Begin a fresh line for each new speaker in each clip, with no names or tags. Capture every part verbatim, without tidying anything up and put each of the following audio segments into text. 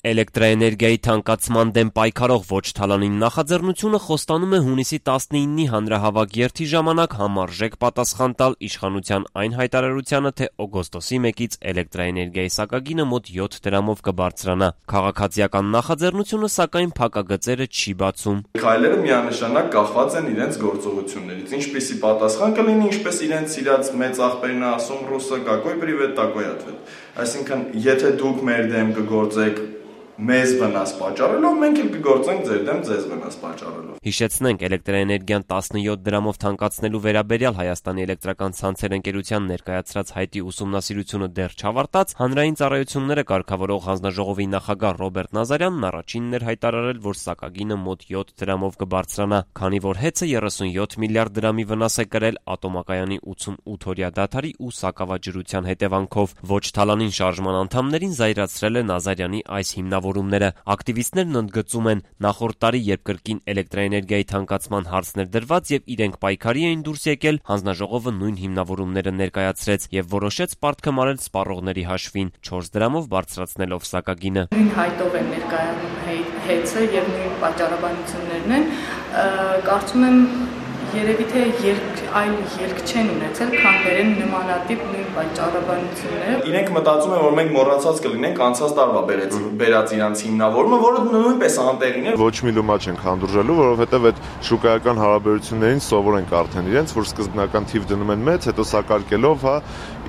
Էլեկտրաէներգիայի թանկացման դեմ պայքարող Ոչ Թալանին նախաձեռնությունը խոստանում է հունիսի տասնինի հանրահավաք երթի ժամանակ համարժեք պատասխան տալ իշխանության այն հայտարարությանը, թե օգոստոսի մեկից էլեկտրաէներգիայի սակագինը մոտ յոթ դրամով կբարձրանա։ Քաղաքացիական նախաձեռնությունը, սակայն, փակագծերը չի բացում։
Քայլերը միանշանակ կախված են իրենց գործողություններից։ Ինչպիսի պատասխան կլինի, ինչպես իրենց իրաց մեծ ախպերն ասում ռուսը, какой привет, такой ответ։ Այսինքն, եթե դուք մեր դեմ կգործեք մեզ վնաս պատճառելով, մենք էլ կգործենք ձեր դեմ ձեզ վնաս պատճառելով։
Հիշեցնենք, էլեկտրաէներգիան տասնյոթ դրամով թանկացնելու վերաբերյալ Հայաստանի էլեկտրական ցանցեր ընկերության ներկայացրած հայտի ուսումնասիրությունը դեռ չավարտած, հանրային ծառայությունները կարգավորող հանձնաժողովի նախագահ Ռոբերտ Նազարյանն առաջինն էր հայտարարել, որ սակագինը մոտ յոթ դրամով կբարձրանա, քանի որ հեծը երեսունյոթ միլիարդ դրամի վնաս է կրել ատոմակայանի ութսունութ-օրյա դադարի ու սակավաջրության հետևանքով։ Ոչ Թալանին շարժման անդամներին զայրացրել է Նազարյանի այս հիմնավորումները։ Ակտիվիստներն ընդգծում են, նախորդ տարի, երբ կրկին էլեկտրաէներգիայի թանկացման հարցն էր դրված եւ իրենք պայքարի էին դուրս եկել, հանձնաժողովը նույն հիմնավորումները ներկայացրեց եւ որոշեց պարտքը մարել սպառողների հաշվին, չորս դրամով բարձրացնելով սակագինը։
Նույն հայտով են ներկայանում հեծը եւ նույն պատճառաբանություններն են, կարծում եմ երևի թե երկ, այլ ելք չեն ունեցել, քան դերեն նմանատիպ նույն պատճառաբանությունները։
Իրենք մտածում են, որ մենք մոռացած կլինենք անցած տարվա բերած իրանց հիմնավորումը, որը նույնպես անտեղին է։
Ոչ մի լոմա չենք հանդուրժելու, որովհետև այդ շուկայական հարաբերություններին սովոր ենք արդեն իրենց, որ սկզբնական թիվ դնում են մեծ, հետո սակարկելով, հա,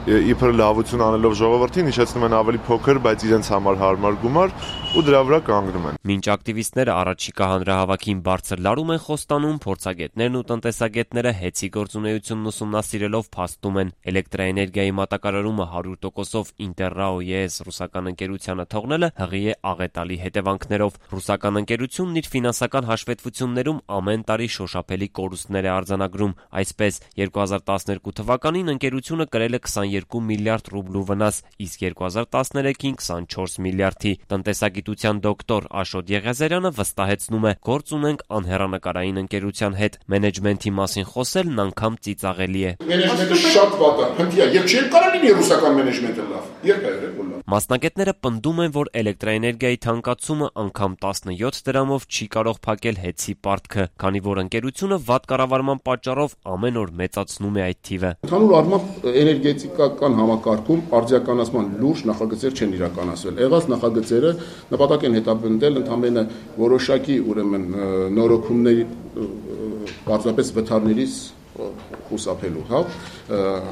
իբր լավություն անելով ժողովրդին, հիշեցնում են ավելի փոքր, բայց իրենց համար հարմար գումար ու դրա վրա կանգնում են։
Մինչ ակտիվիստները առաջիկա հանրահավաքին բարձր լարում են խոստանում, փորձագետներն ու տնտեսագետները հեծի գործունեությունն ուսումնասիրելով փաստում են, էլեկտրաէներգիայի մատակարարումը հարյուր տոկոսով Ինտերրաո-ԵՍ ռուսական ընկերությանը թողնելը հղի է աղետալի հետևանքներով։ Ռուսական ընկերությունն իր ֆինանսական հաշվետվություններում ամեն տարի շոշափելի կորուստներ է արձանագրում։ Այսպես, երկու հազար տասներկու թվականին ընկերությունը կրել է քսաներկու միլիարդ ռուբլու վնաս, իսկ երկու հազար տասներեքին քսանչորս միլիարդի։ Տնտեսագիտության դոկտոր Աշոտ Եղիազարյանը վստահեցնում է, գործ ունենք անհեռանկարային ընկերության հետ, մենեջմենթի մասին խոսելն անգամ ծիծաղելի է։
Մենեջմենթը շատ վատ է, փնթի է, եւ չի կարող լինի ռուսական մենեջմենտը լավ։ Երբ է եղել լավ։
Մասնագետները պնդում են, որ էլեկտրաէներգիայի թանկացումը անգամ տասնյոթ դրամով չի կարող փակել հեծի պարտքը, քանի որ ընկերությունը վատ կառավարման պատճառով ամեն օր մեծացնում է այդ թիվը։
Ընդհանուր առմամբ էներգետիկական համակարգում արձիականացման լուրջ նախագծեր չեն իրականացվել։ Եղած նախագծերը նպատակ են հետապնդել ընդամենը որոշակի ուրեմն նորոգումների պարզապես վթարներից խուսափելու, հա,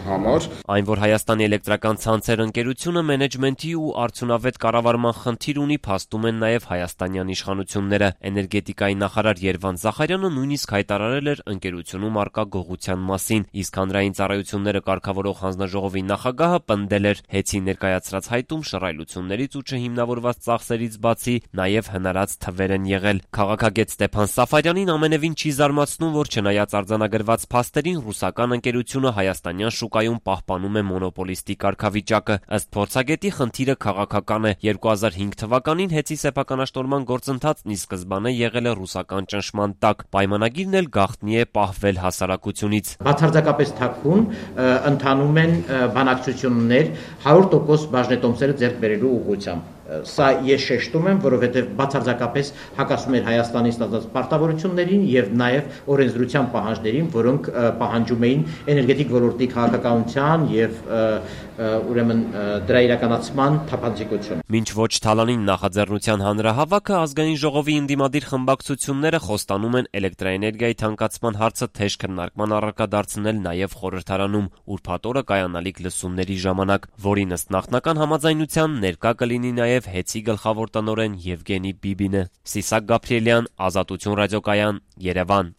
համար։
Այն, որ Հայաստանի էլեկտրական ցանցեր ընկերությունը մենեջմենթի ու արդյունավետ կառավարման խնդիր ունի, փաստում են նաև հայաստանյան իշխանությունները։ Էներգետիկայի նախարար Երվանդ Զախարյանը նույնիսկ հայտարարել էր ընկերությունում առկա գողության մասին, իսկ հանրային ծառայությունները կարգավորող հանձնաժողովի նախագահը պնդել էր, հեծի ներկայացրած հայտում շռայլություններից ու չհիմնավորված ծախսերից բացի նաև հնարած թվեր են եղել։ Քաղաքագետ Ստեփան Սաֆարյանին ամենևին չի զարմացնում, որ չնայած արձանագրված փաստերին, ռուսական ընկերությունը հայաստանյան շուկայում պահպանում է մոնոպոլիստի կարգավիճակը։ Ըստ փորձագետի, խնդիրը քաղաքական է։ երկու հազար հինգ թվականին հեծի սեփականաշտորման գործընթացն ի սկզբանե եղել է ռուսական ճնշման տակ։ Պայմանագիրն էլ գաղտնի է պահվել հասարակությունից։
Բացարձակապես թաքուն ընթանում են բանակցություններ հարյուր տոկոս բաժնետոմսերը ձեռք բերելու ուղղությամբ։ Սա ես շեշտում եմ, որովհետև բացարձակապես հակասում էր Հայաստանի ստացած պարտավորություններին եւ նաեւ օրենսդրության պահանջներին, որոնք պահանջում էին էներգետիկ ոլորտի քաղաքականության եւ ուրեմն դրա իրականացման թափանցիկություն։
Մինչ Ոչ Թալանին նախաձեռնության հանրահավաքը, ազգային ժողովի ընդդիմադիր խմբակցությունները խոստանում են էլեկտրաէներգիայի թանկացման հարցը թեժ քննարկման առարկա դարձնել նաեւ խորհրդարանում, ուրբաթ օրը կայանալիք լսումների ժամանակ, որին ըստ նախնական համաձայնության ներկա կլինի նաեւ հեծի գլխավոր տնօրեն Եվգենի Բիբինը։ Սիսակ Գաբրիելյան, Ազատություն ռադիոկայան, Երևան։